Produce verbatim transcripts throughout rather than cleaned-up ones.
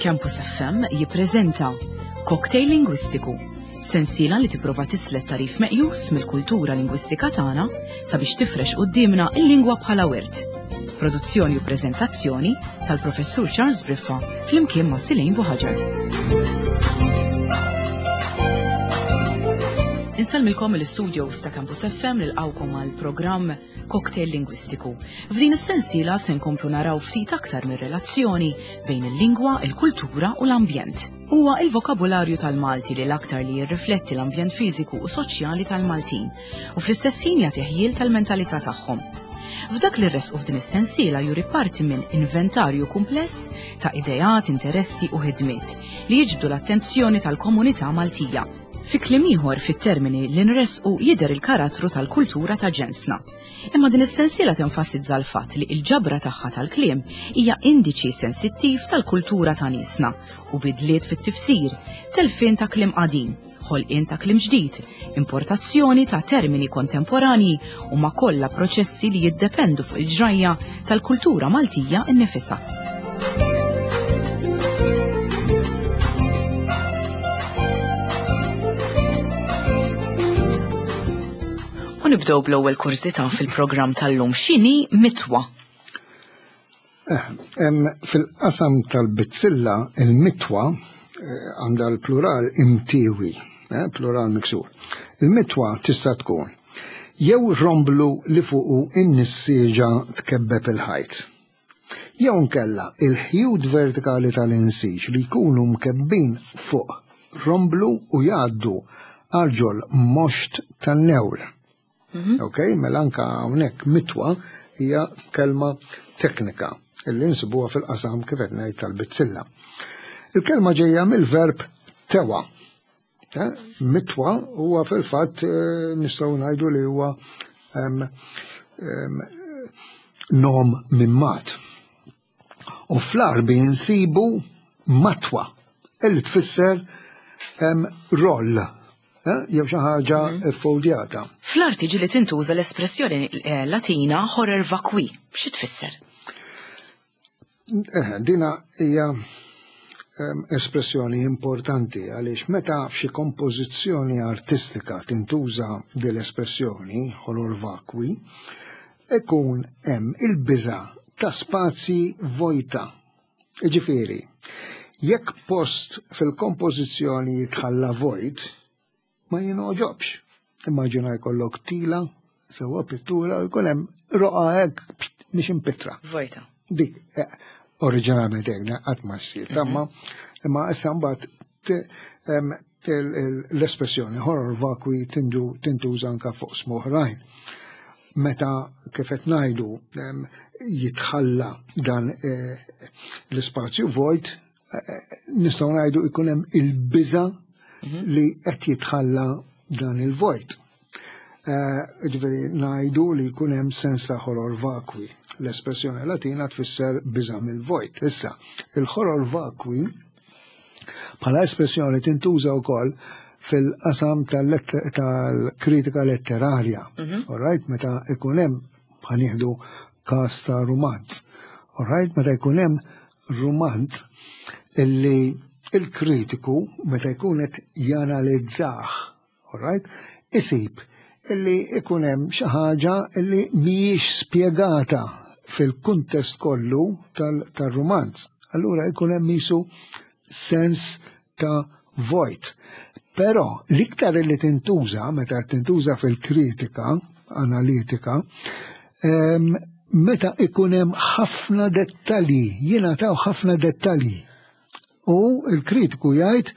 Campus F M jippreżenta Cocktail Lingwistiku, sensiela li tipprova tislet tarif meqjus mill-kultura lingwistika tagħna sabiex tifrex quddiemna l-lingwa bħala wirt. Produzzjoni u preżentazzjoni tal-Professur Charles Briffa flimkien ma' Silejn Buħaġar. Insellmilkom mill-istudios ta' Campus F M nilqgħukom għal programm Cocktail Lingwistiku. F'din is-sensiela se nkomplu naraw ftit aktar mir-relazzjoni bejn il-lingwa, il-kultura u l-ambjent. Huwa il-vokabularju tal-Malti li l-aktar li jirrifletti l-ambjent fiżiku u soċjali tal-Maltin u fl-istess ħin jagħti ħjiel tal-mentalità tagħhom. F'dak li rresqu f'din is-sensiela juri parti minn inventarju kumpless ta' ideat, interessi u ħidmiet li jiġbdu l-attenzjoni tal-komunità Maltija. Fi kliem ieħor fit-termini li nresqu jidher il-karattru tal-kultura ta' ġensna. Imma din is-sensiela tenfasizza l-fatt li l-ġabra tagħha tal-kliem hija indiċi sensittiv tal-kultura ta' niesna u bidliet fit-tifsir, telfien ta' kliem qadim, ħolqien ta' kliem ġdid, importazzjoni ta' termini kontemporanji u ma' kollha proċessi li jiddependu fuq il-ġrajja tal-kultura Maltija nnifisha. U nibdew bl-ewwel kurżità fil-programm tal-lum, x'inhi mitwa? Eh, fil-qasam tal-bizzilla, il-mitwa, eh, għandha l-plural imtiewi, eh, plural miksur. Il-mitwa tista' tkun jew romblu li fuqu in-nissieġa tkebbeb il-ħajt. Jew nkella il-ħjut vertikali tal-insiġ li jkunu mkebbin fuq romblu u jgħaddu għal ġol moxt tan-newl. Mhm. Ok, mela anka hawnhekk mitwa hija kelma teknika illi nsibuha fil-qasam kif qed ngħid tal-bizzilla. Il-kelma ġejja mill-verb tewa. Eh, mitwa huwa fil-fatt, eh, nistgħu ngħidu li huwa, em, em, nom minn mat. U fl-Għarbi nsibu matwa illi tfisser, em, roll. Eh, jew xi ħaġa Mhm. ffoldjata. Fl-arti ġieli tintuża l-espressjoni, eh, Latina horror vacui. Xi tfisser? Eh, dina hija, ehm, espressjoni importanti għaliex meta f'xi kompożizzjoni artistika tintuża din l-espressjoni horror vacui, ikun hemm il-biża' ta' spazji vojta. Jiġifieri, jekk post fil-kompożizzjoni jitħalla vojt, ma jingħoġobx. Immaġina jkollok tila, sewwa pittura, u jkun hemm roqgħa hekk mhix impittra. Vojta. Dik, eh, oriġinalment hekk, qatt ma ssir, Mhm. tamma, imma issa mbagħad te-, em, il-, il-, l-espressjoni horror vacui tindu-, tintuża anka fuq smoħrajn. Meta kif qed ngħidu, em, jitħalla dan, eh, l-ispazju vojt, eh, eh, nistgħu ngħidu jkun hemm il-biża' Mhm. li qed jitħalla dan il-vojt. Eh, ġifieri ngħidu li jkun hemm sens ta' horror vacui. L-espressjoni Latina tfisser biża' mill-vojt. Issa, il-horror vacui bħala espressjoni tintuża wkoll fil-qasam tal-lett-, tal-kritika letterarja. Mhm. All right, meta ikun hemm, ħanieħdu każ ta' rumanz. All right, meta jkun hemm rumanz illi il-kritiku meta jkun qed janalizzah, all right, isib illi ikun hemm xi ħaġa illi mhijiex spjegata fil-kuntest kollu tal-, tal-rumanz. Allura ikun hemm isu sens ta' vojt. Però l-iktar li tintuża, meta tintuża fil-kritika analitika, em, meta ikun hemm ħafna dettalji, jingħataw ħafna dettalji. U l-kritiku jgħid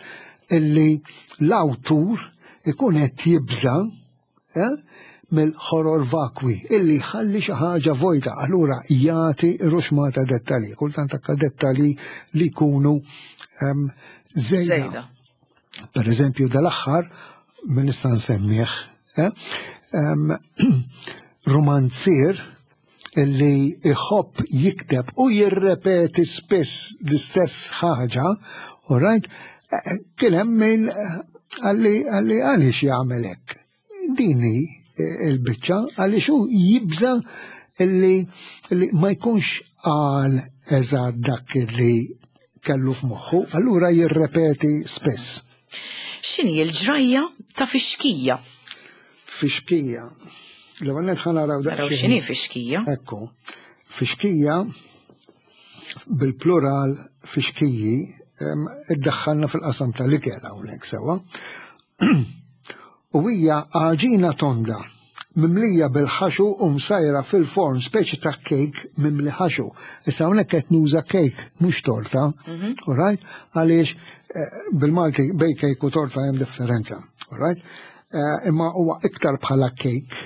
illi l-awtur ikun qed jibża', eh, mill-horror vacui, illi jħalli xi ħaġa vojta, allura jagħti ruxmata dettalji, kultant anke dettalji li jkunu, ehm, żejda. Żejda. Per eżempju, dal-aħħar, min issa nsemmih, eh, ehm, romanzier illi iħobb jikteb u jirrepeti spiss l-istess ħaġa, all right, eh, kien hemm min, eh, għalli, għalli għaliex jagħmel hekk. Din hi, eh, il-biċċa għaliex hu jibża' illi, illi ma jkunx qal eżatt dak li kellu f'moħħu, allura jirrepeti spiss. X'inhi l-ġrajja ta' fixkija? Fixkija. L-ewwel nett ħa naraw Naraw x'inhi fixkija. Ekku. Fixkija bil-plural fixkiji iddaħħalna fil-qasam tal-ikel hawnhekk sewwa. U hija għaġina tonda mimlija bil-ħaxu u msajra fil-forn, speċi ta' kejk mimli ħaxu. Issa hawnhekk qed nuża kejk mhux torta, mhm. all right? Għaliex eh, bil-Malti bej kejk u torta hemm differenza, all right? Eh, imma huwa iktar bħala kejk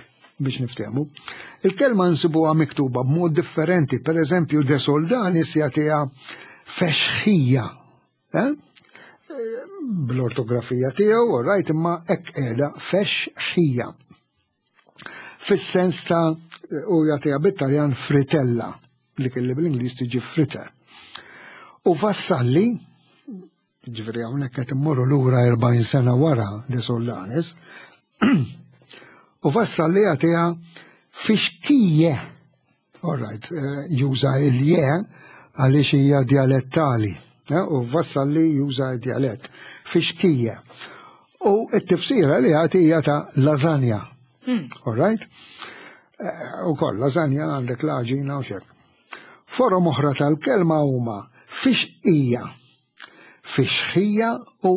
biex niftehmu. Il-kelma nsibuha miktuba b'mod differenti, per eżempju De Soldanis jagħtiha fexħija. Eh? Bl-ortografija tiegħu, all right, imma hekk qiegħda fexħija. Fis-sens ta' u jagħtiha bit-Taljan fritella, li kelli bl-Ingliż tiġi fritter. U Vassalli, ġifieri hawnhekk qed immorru lura erbgħin sena wara De Soldanis, u Vassalli jagħtiha fixkije. All right, eh, juża il-je għaliex hija dialettali. Eh, u Vassalli juża dialett. Fixkije. U t-tifsira li jagħti hija ta' lasagna. Hmm. All right? Eh, u koll, lasagna għandek l-għaġina u xek. Forom oħra tal-kelma huma fixqija, fixħija u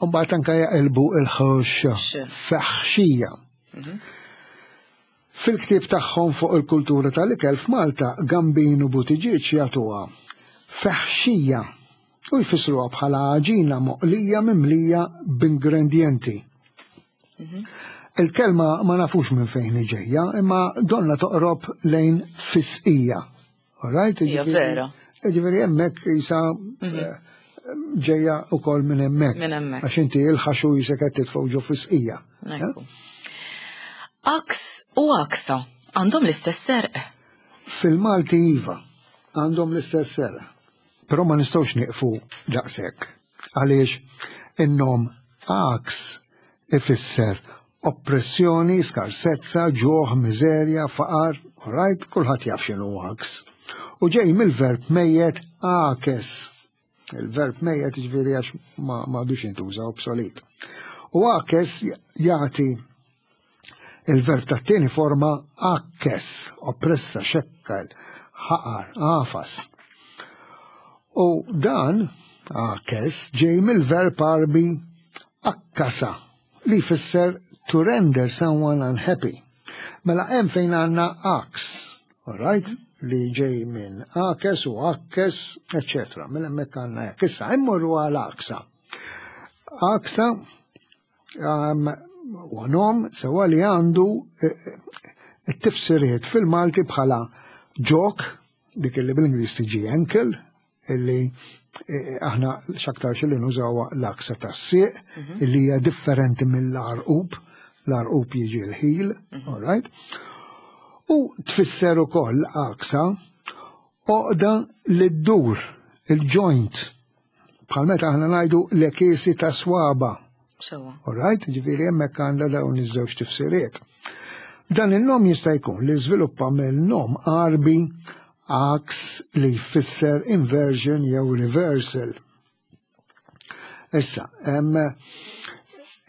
mbagħad anke jaqilbu il-ħox feħxija. Mhm. Fil-ktieb tagħhom fuq il-kultura tal-ikel f'Malta, Gambin u Buttigieg jagħtuha feħxija u jfissruha bħala għaġina moqlija mimlija b'ingredienti. Mhm. Il-kelma ma nafux minn fejn ġejja, imma donna toqrob lejn fisqija. All right? Hija vera. Ġifieri hemmhekk jisa mhm. eh, ġejja ukoll minn hemmhekk. Minn hemmhekk. Għax inti il-ħaxu jisek qed titfgħu ġo fisqija. Eh? Aks u aksa għandhom l-istess għerq. Fil-Malti iva, għandhom l-istess għerq. Però ma nistgħux nieqfu daqshekk. Għaliex in-nom aks ifisser oppressjoni, skarsezza, ġuħ, miżerja, faqar, all right, kulħadd jaf x'inhu aks. U ġej mill-verb mejjet akes. Il-verb mejjet ġifieri għax ma m'għadux jintuża, obsolet. U akes jagħti il-verb tat-tieni forma akkes, oppressa, xekkel, ħaqar, għafas. U dan akes ġej mill-verb Għarbi akkasa li jfisser to render someone unhappy. Mela hemm fejn għandna aks, all right? Li ġej minn akes u akkes, eccetera. Mela hemmhekk għandna hekk. Issa immorru għal aksa. Aksa um, u nom sewa li għandu eh, it-tifsiriet fil-Malti bħala ġok, dik li bil-Ingliż tiġi ankle, illi eh, aħna x'aktar li nużawha l-aksa tas-sieq, mhm. illi hija differenti mill-għarqub, l-għarqub jiġi l-heel, mhm. all right? U tfisser ukoll aksa għoqda li ddur il-joint, bħal meta aħna ngħidu l-ekisi ta' swaba. Sewa. All right, ġifieri hemmhekk għandha dawn iż-żewġ tifsiriet. Dan il-nom jista' jkun li żviluppa mill-nom Għarbi aks li jfisser inversion jew reversal. Issa,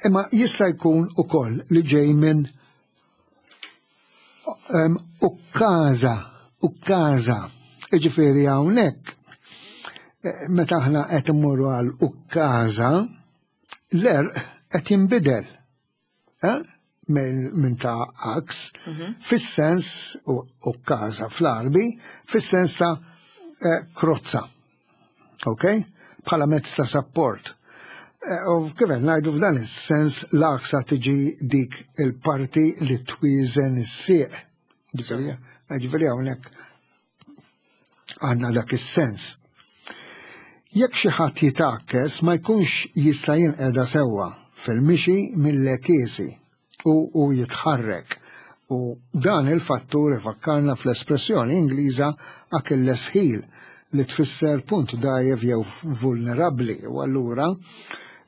imma jista' jkun ukoll li ġej minn ukkaża, ukkaża. Ġifieri hawnhekk eh, meta aħna qed immorru għal ukkaża, l-għerq qed jinbidel. Eh? Minn ta' aks, mhm. fis-sens ukkaża fl-Għarbi, fis-sens ta' eh, krozza. Ok? Bħala mezz ta' support. Eh, u kif qed ngħidu f'dan is-sens l-aksa tiġi dik il-parti li twiżen is-sieq. Ġifieri hawnhekk għandna dak is-sens. Jekk xi ħadd jitakkes ma jkunx jista' jinqeda sewwa fil-mixi mill-ekiesi u, u jitħarrek. U dan il-fattur ifakkarna fl-espressjoni Ingliża Achilles heel li tfisser punt dgħajjef jew vulnerabbli. U allura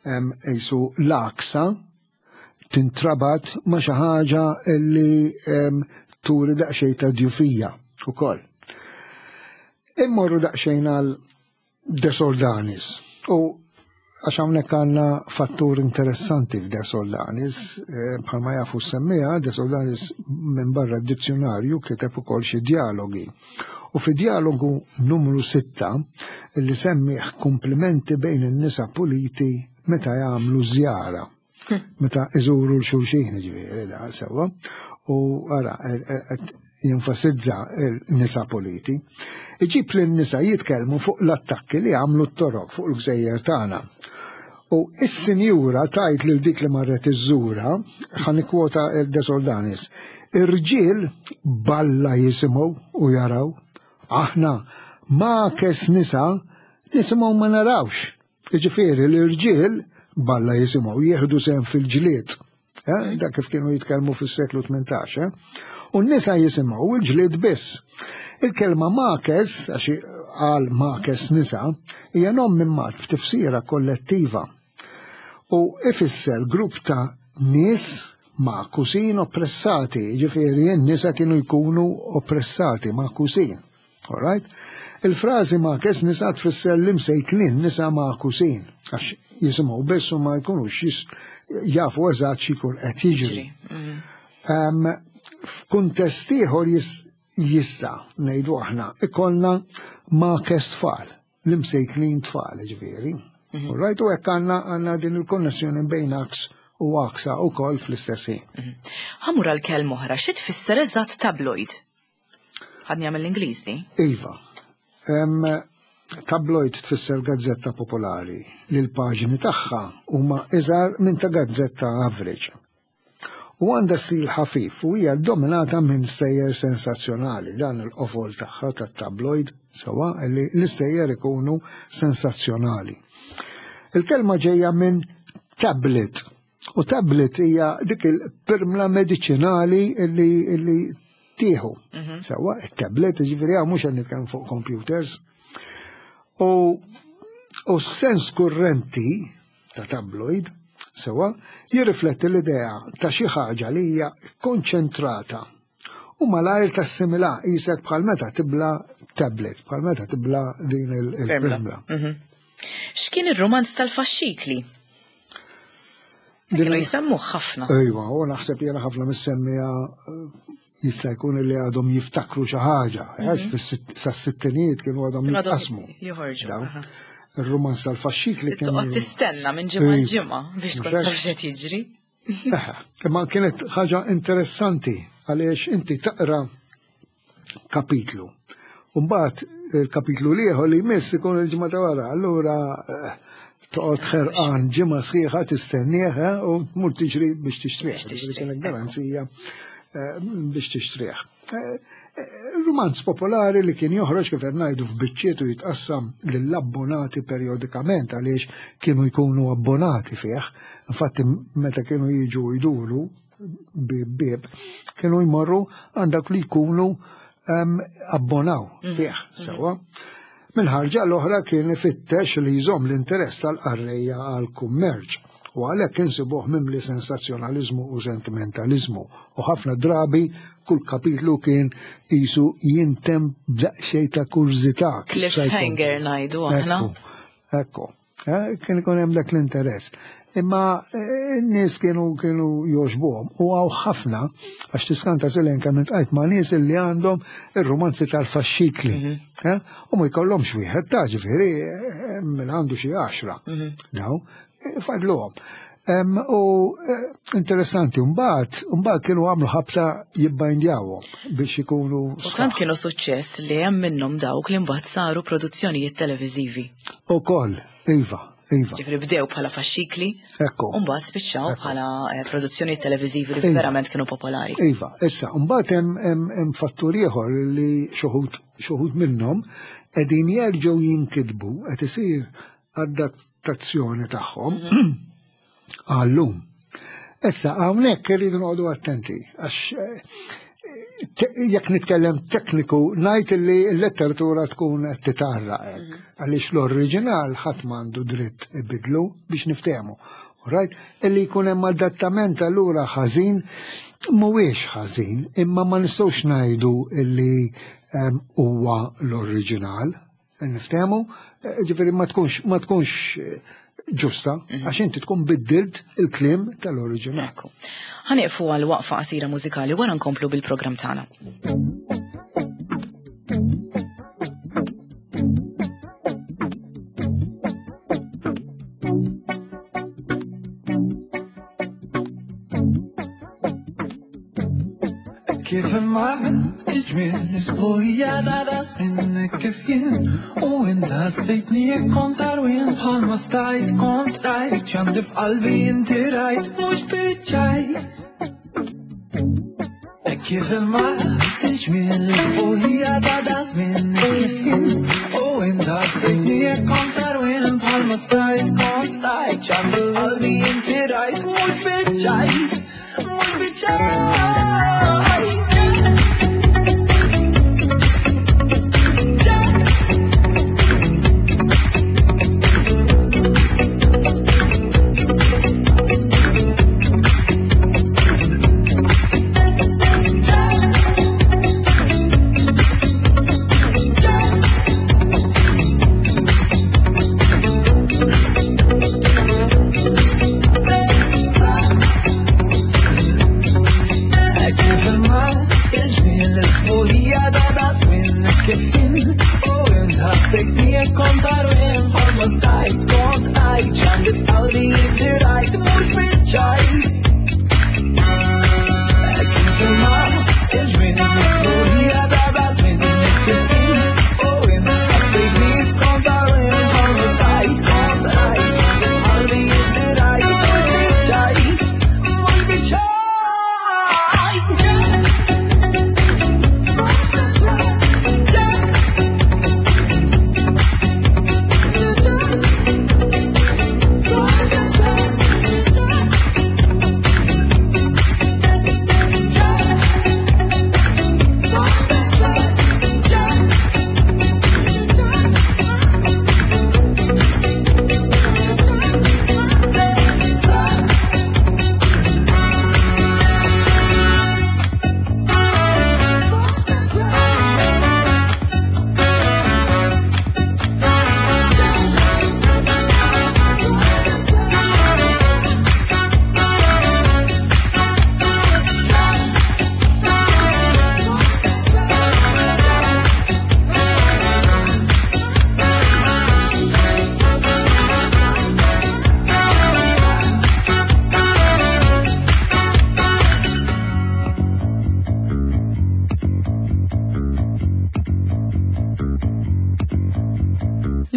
jisu l-aksa tintrabat ma' xi ħaġa li turi daqsxejn ta' djufija ukoll. Immorru daqsxejn għal De Soldanis. U għax hawnhekk għandna fattur interessanti f'De Soldanis, eh, bħalma jafu semmija, De Soldanis minn barra d-dizzjonarju kiteb ukoll xi dialogi. U fi dialogu numru sitta li semmih komplimenti bejn in-nisa puliti meta jagħmlu żjara. Meta iżuru l-xulxin, ġifieri da sewwa. U ara, qed jenfasizza il-nisa puliti. Iġib li n-nisa jitkellmu fuq l-attakki li għamlu t-Torok fuq il-gżejjer tagħna. U is-sinjura tajt lil dik li marret iżżura, ħa nikkwota il-De Soldanis, irġiel balla jisimgħu u jaraw, aħna ma kes nisa nisimgħu ma narawx. Jiġifieri l-irġiel balla jisimgħu jieħdu sehem fil-ġlied. Eh, dak kif kienu jitkellmu fis-seklu tmintax. Eh? U n-nisa jisimgħu il-ġlied biss. Il-kelma makes, għax għal makes nisa, hija nom minn mat f'tifsira kollettiva. U ifisser grupp ta' nies magħkusin oppressati, ġifieri n-nisa kienu jkunu oppressati, magħkusin. All right? Il-frażi makes nisa tfisser l-imsejknin nisa magħkusin, għax jisimgħu biss u ma jkunux jafu eżatt x'ikun qed jiġri. Mm. F'kuntest ieħor jista' ngħidu aħna ikollna makes tfal, l-imsejknin tfal ġifieri. Mhm. Right, u hekk għandna għandna din il-konnessjoni bejn aks u aksa u koll fl-istess ħin. Mhm. Ħa mmur għal kelma oħra, xi tfisser eżatt tabloid? Ħadni għamil l-Ingliż di? Iva. Tabloid tfisser gazzetta popolari li l-paġni tagħha huma iżgħar minn ta' gazzetta average. U għandha stil ħafif u hija dominata minn stejjer sensazzjonali. Dan il-qofol tagħha tat-tabloid sewa li l-istejjer ikunu sensazzjonali. Il-kelma ġejja minn tablet. U tablet hija dik il-pirmla medicinali li, li tieħu. Mhm. Sewa, il-tablet, ġifieri hawn mhux qed nitkellem fuq computers. U u s-sens kurrenti ta' tabloid, sewa, jirrifletti l-idea ta' xi ħaġa li hija konċentrata u malajr tassimila qisek bħal meta tibla tablet, bħal meta tibla din il-pirmla. Mhm. X'kien ir-romanz tal-faxxikli? Kienu jisemmu ħafna. Ejwa, u naħseb jena ħafna mis-semmija eh, jista' jkun li għadhom jiftakru xi ħaġa, għax mhm. sas-sittinijiet kienu għadhom jitqasmu. Joħorġu. Il-romanz tal-faxxikli kien. Toqgħod tistenna minn ġimgħa ġimgħa biex tkun taf x'qed jiġri. Imma kienet ħaġa interessanti għaliex inti taqra kapitlu. Mbagħad il-kapitlu l-ieħor li jmiss ikun il-ġimgħa ta' wara, allura eh, toqgħod ħerqan ġimgħa sħiħa tistennieh eh, u tmur tiġri biex tixtrih. Kienet garanzija eh, biex tixtrih. Romanz popolari li kien joħroġ kif qed ngħidu f'biċċiet u jitqassam lill-abbonati periodikament għaliex kienu jkunu abbonati fih. Infatti meta kienu jiġu jduru bib bib kienu jmorru għandak li jkunu abbonaw mhm. fih mhm. sewa. Mill-ħarġa l-oħra kien ifittex li jżomm l-interess tal-qarrejja għal kummerċ u għalhekk insibuh mimli sensazzjonaliżmu u sentimentalizmu u ħafna drabi kull kapitlu kien qisu jintemm b'daqsxejn ta' kurżità. Cliffhanger ngħidu aħna. Ekku, eh, kien ikun hemm dak l-interess. Imma eh, n-nies kienu kienu jogħġbuhom u hawn ħafna għax tiskanta silen kemm iltqajt ma' nies li għandhom ir-romanzi tal-faxxikli. Mhm. Eh, u ma jkollhomx wieħed ta' ġifieri minn għandu xi għaxra. Mhm. Daw, fadluhom. U interessanti, mbagħad mbagħad kienu għamlu ħabta jibbajndjawhom biex ikunu. U tant kienu suċċess li hemm minnhom dawk li mbagħad saru produzzjonijiet televiżivi. Ukoll, iva, iva. Ġifieri bdew bħala faxxikli. Ekku. U mbagħad spiċċaw bħala eh, produzzjonijiet televiżivi li iva. verament kienu popolari. Iva, issa, mbagħad hemm fattur ieħor li xi wħud minnhom qegħdin jerġgħu jinkitbu qed isir adattazzjoni tagħhom mhm. għallum. Issa, hawnhekk irridu noqogħdu attenti, għax eh, jekk nitkellem tekniku, ngħid li l-letteratura tkun qed titarra hekk, mhm. għaliex l-oriġinal ħadd m'għandu dritt ibidlu biex niftehmu. Right? Illi jkun hemm adattament allura ħażin mhuwiex ħażin, imma ma nistgħux ngħidu illi huwa l-oriġinal. Niftehmu, ġifieri ma tkunx ma tkunx ġusta, għax inti tkun biddilt il-kliem tal-oriġinal. Ekku. Ħa nieqfu għal waqfa qasira mużikali wara nkomplu bil-programm tagħna. Kif il-mar il-ġmiel isbuħija ta' das minnek kif jien u inta ħassejtni jekk kont arwien bħalma stajt kont rajt x'għandi f'qalbi inti rajt mhux biċċajt. Kif il-mar il-ġmiel isbuħija ta' das minnek kif jien u inta ħassejtni jekk kont arwien bħalma stajt kont rajt x'għandi f'qalbi inti rajt mhux biċċajt mhux biċċajt.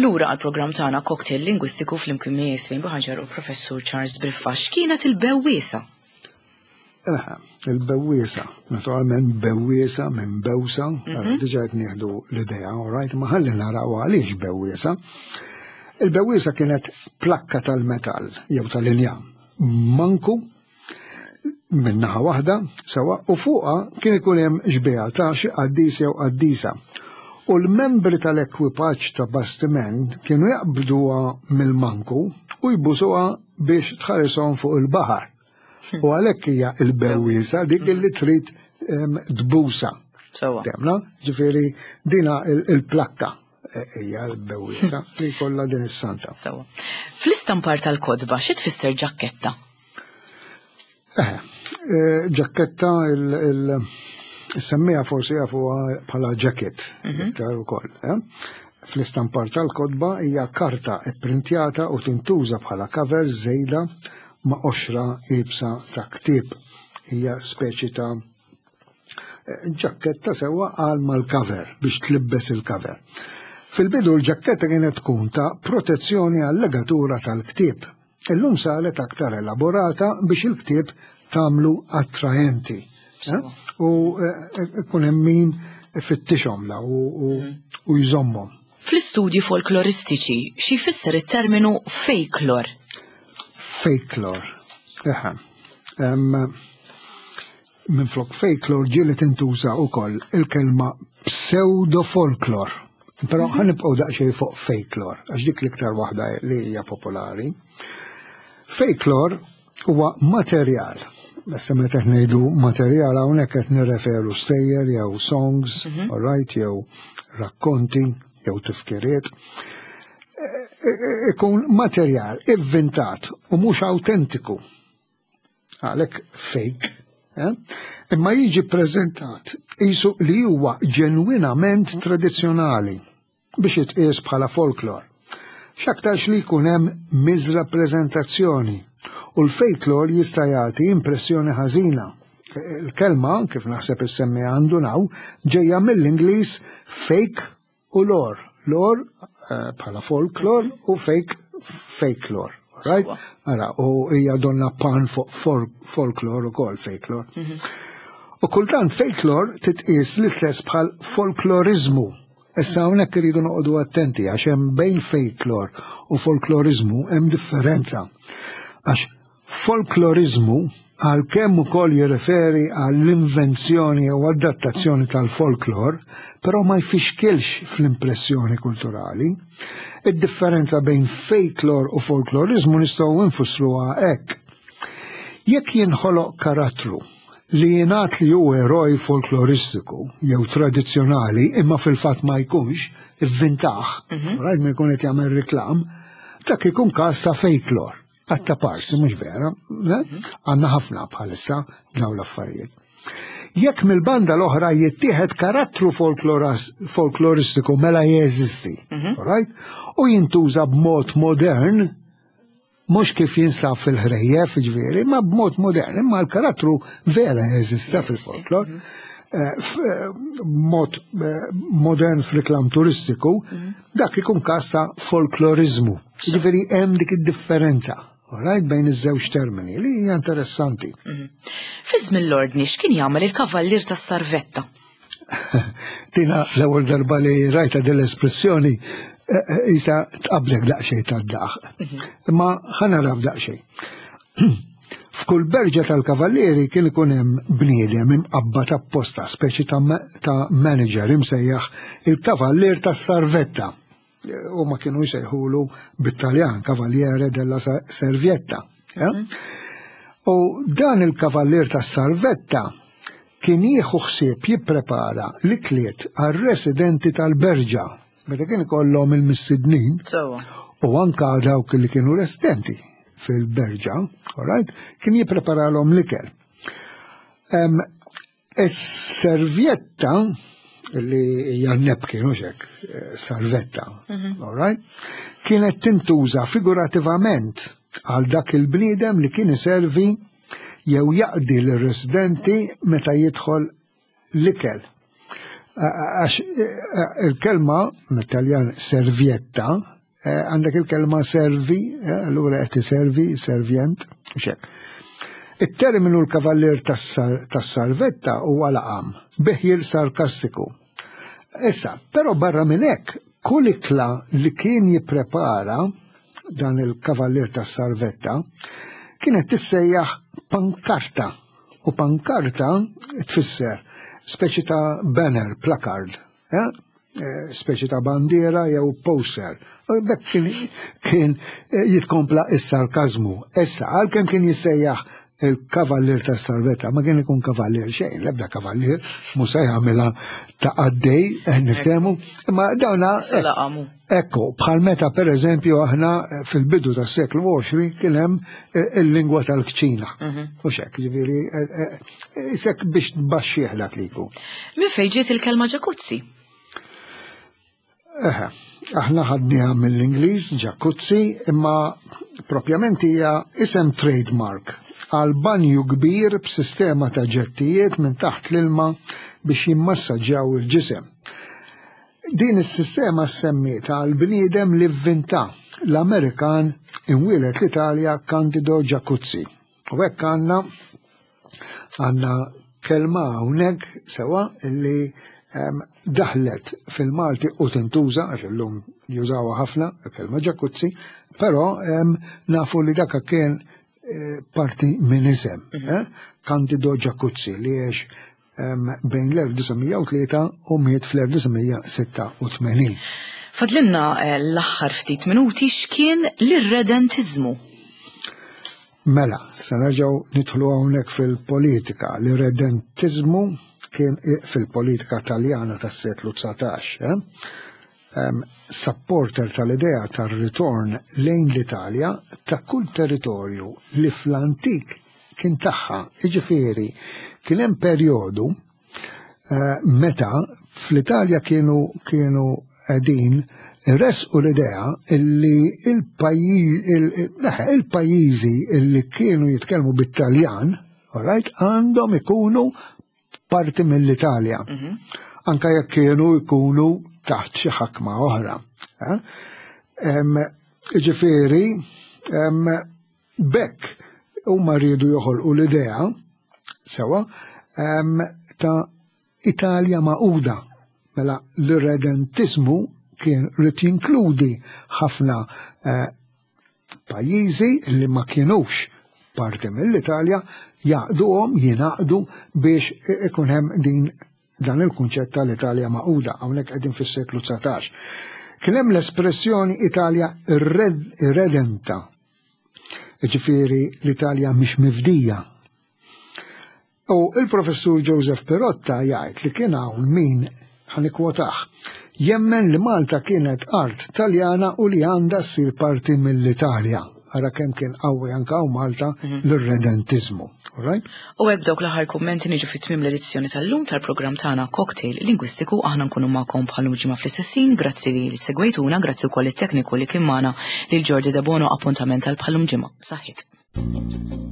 Lura għal-programm tagħna Cocktail Lingwistiku flimkien miegħi Slim Buhagiar u Professur Charles Briffa. X'kienet il-bewwiesa? Eħe, il-bewwiesa, naturalment bewwiesa minn bewsa, diġà qed nieħdu l-idea, all right, ma ħalli naraw għaliex bewwiesa. Il-bewwiesa kienet plakka tal-metall jew tal-injam, manku minn naħa waħda sewa u fuqha kien ikun hemm xbieha ta' xi qaddis jew qaddisa. U l-membri tal-ekwipaġġ ta' bastiment kienu jaqbduha mill-manku u jbusuha biex tħarishom fuq il-baħar. U għalhekk hija il-bewwiesa dik li trid tbusa. Sewa. Temna, ġifieri dina il-plakka hija l-bewwiesa li jkollha din is-santa. Sewa. Fl-istampar tal-kodba xi tfisser ġakketta? Eh, ġakketta il- Semmija forsi jafuha bħala jacket, iktar ukoll. Eh? Fl-istampar tal-kodba hija karta ipprintjata u tintuża bħala cover żejda ma' qoxra iebsa ta' ktieb. Hija speċi ta' ġakketta sewwa għal mal-cover biex tlibbes il-cover. Fil-bidu l-ġakketta kienet tkun ta' protezzjoni għal-legatura tal-ktieb. Illum saret aktar elaborata biex il-ktieb tagħmlu attraenti. U ikun hemm min ifittixhom la u jżommhom. Fl-istudji folkloristiċi xi jfisser it-terminu folklor? Folklor. Eħe. Minflok folklor ġieli tintuża wkoll il-kelma pseudo-folklor. Però ħa nibqgħu daqsxejn fuq folklor, għax dik l-iktar waħda li hija popolari. Folklor huwa materjal. Issa meta qed ngħidu materjal hawnhekk qed nirreferu stejjer jew songs, all right, jew rakkonti. jew tifkiriet, ikun materjal ivvintat u mhux autentiku. Għalhekk fake, eh? Imma jiġi preżentat qisu li huwa ġenwinament tradizzjonali biex jitqies bħala folklor. X'aktarx li jkun hemm miżrappreżentazzjoni u l-folklor jista' jagħti impressjoni ħażina. Il-kelma, kif naħseb issemmi għandu naw, ġejja mill-Ingliż fake u lore. Lore bħala folklor u fake fakelore. Right? Ara, u hija donna pun fuq folklor u kol fakelore. U kultant fakelore titqis l-istess bħal folklorizmu. Issa hawnhekk iridu noqogħdu attenti għax hemm bejn fakelore u folklorizmu hemm differenza. Għax folklorizmu għalkemm ukoll jirreferi għall-invenzjoni u adattazzjoni tal-folklor, però ma jfixkilx fl-impressjoni kulturali. Id-differenza bejn fakelore u folklorizmu nistgħu nfissruha hekk. Jekk jinħoloq karattru li jingħad li hu eroj folkloristiku jew tradizzjonali imma fil-fatt ma jkunx ivvintah, right, ma jkun qed jagħmel reklam, dak ikun każ ta' fakelore. Għatta parsi, mhux vera, għandna ħafna bħalissa dawn l-affarijiet. Jekk mill-banda l-oħra jittieħed karattru folkloristiku mela jeżisti, right? U jintuża b'mod modern, mhux kif jinsab fil-ħrejjef, ġifieri, ma b'mod modern, imma l-karattru vera jeżista fil-folklor. Mod modern f'reklam turistiku, dak ikun każ ta' folklorizmu. Ġifieri hemm dik id-differenza. Right, bejn iż-żewġ termini li hija interessanti. Fi żmien l-ordni x'kien jagħmel il-kavallier tas-sarvetta? Tina l-ewwel darba li rajta din l-espressjoni isa tqablek daqsxejn tad-daħ. Imma ħa naraw daqsxejn. F'kull berġa tal-kavallieri kien ikun hemm bniedem imqabbad apposta, speċi ta' manager imsejjaħ il-kavallier tas-sarvetta. U ma kienu jsejħulu bit-Taljan Cavaliere della Servietta. U dan il-kavallier tas-sarvetta kien jieħu ħsieb jipprepara l-ikliet għar-residenti tal-berġa meta kien ikollhom il-mistednin u anka dawk li kienu residenti fil-berġa, all right, kien jippreparalhom l-ikel. Is-servjetta li hija napkin u hekk, sarvetta, all right, kienet tintuża figurativament għal dak il-bniedem li kien iservi jew jaqdi l-residenti meta jidħol l-ikel. Għax il-kelma mit-Taljan servietta, għandek il-kelma servi, allura qed servi, servjent, u hekk. Il-terminu l-kavallier tas-sarvetta huwa laqam, biħjil sarkastiku. Issa, però barra minn hekk, kull ikla li kien jipprepara dan il-kavallier tas-sarvetta kienet tissejjaħ pankarta. U pankarta tfisser speċi ta' banner, placard, eh? Speċi ta' bandiera jew poster. Bekk kien, kien jitkompla is-sarkazmu. Issa, għalkemm kien jissejjaħ il-kavallier tas-sarvetta, ma kien ikun kavallier xejn, l-ebda kavallier, mhux se jagħmilha ta' għaddej, niftehmu, imma dawna. Ekku, bħal meta per eżempju aħna fil-bidu tas-seklu għoxrin kien hemm il-lingwa tal-kċina. U xek, ġifieri, isek biex tbaxxih dak li jkun. Min fejn ġiet il-kelma ġakuzzi? Eħe, aħna ħadniha mill-Ingliż, ġakuzzi, imma propjament hija isem trademark għal banju kbir b'sistema ta' ġettijiet minn taħt l-ilma biex jimmassaġġjaw il-ġisem. Din is-sistema semmiet għal bniedem li vvinta l-Amerikan imwieled l-Italja Candido Jacuzzi. U hekk għandna għandna kelma hawnhekk sewa illi daħlet fil-Malti u tintuża għax illum jużawha ħafna il-kelma ġakuzzi, però nafu li dak kien parti minn isem, Candido Jacuzzi, li għex bejn l-elf disa' mija u tlieta u miet fl-elf disa' mija sitta u tmenin. Fadlinna l-aħħar ftit minuti, x'kien l-irredentizmu? Mela, se nerġgħu nidħlu hawnhekk fil-politika. L-irredentizmu kien fil-politika Taljana tas-seklu dsatax, eh? um, supporter tal-idea tar-ritorn lejn l-Italja ta' kull territorju li fl-antik kien tagħha. Jiġifieri kien hemm perjodu uh, meta fl-Italja kienu kienu qegħdin resqu l-idea illi il-pajjiżi illi kienu jitkellmu bit-Taljan, alright, għandhom ikunu parti mill-Italja. Mhm. Anka jekk kienu jkunu taħt xi ħakma oħra. Eh? Ġifieri, bekk huma rridu joħolqu l-idea sewa ta' Italja magħquda. Mela l-irredentizmu kien rrid jinkludi ħafna eh, pajjiżi li ma kienux parti mill-Italja jaqduhom jingħaqdu biex ikun hemm din dan il-kunċett tal-Italja magħquda hawnhekk qegħdin fis-seklu dsatax. Kien hemm l-espressjoni Italja irredenta. Ġifieri l-Italja mhix mifdija. U il-professur Joseph Pirotta jgħid li kien hawn min ħa nikkwotah jemmen li Malta kienet art Taljana u li għandha ssir parti mill-Italja. Ara kemm kien qawwi anka hawn Malta mhm. l-irredentizmu. Right? U hekk dawk l-aħħar kummenti niġu fit tmiem l-edizzjoni tal-lum tal-programm tagħna Cocktail Lingwistiku aħna nkunu magħkom bħal ġimgħa fl-istessin, grazzi li segwejtuna, grazzi wkoll it-tekniku li kien magħna lil Jordi Debono appuntament għal bħalum ġimgħa. Saħħit.